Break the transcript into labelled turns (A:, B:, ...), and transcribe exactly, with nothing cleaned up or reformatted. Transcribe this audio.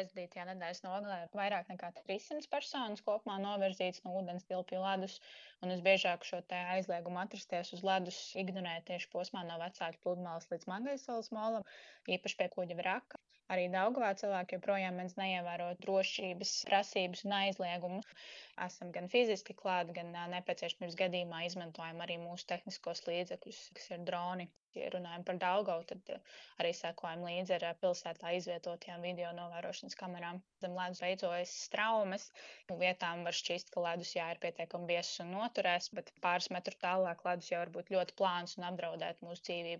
A: Aizdītajā nedēļas nogalē vairāk nekā trīssimts personas kopumā novirzītas no ūdens tilpju ledus, un visbiežāk šo te aizliegumu atrasties uz ledus ignorē tieši posmā no Vecāku pludmales līdz Magaisalas molam, īpaši pie kuģa vraka. Arī Daugavā cilvēki joprojām mēdz neievērot drošības prasības un aizliegumus. Esam gan fiziski klāt, gan ā, nepieciešamības gadījumā izmantojam arī mūsu tehniskos līdzekļus, kas ir droni. Ja runājam par Daugavu, tad ā, arī sekojam līdzi ar ā, pilsētā izvietotajām video novērošanas kamerām. Zem ledus veidojas straumes, un vietām var šķist, ka ledus jā ir pietiekami biezs un noturēs, bet pāris metru tālāk ledus jau var būt ļoti plāns un apdraudēt mūsu dzīvību.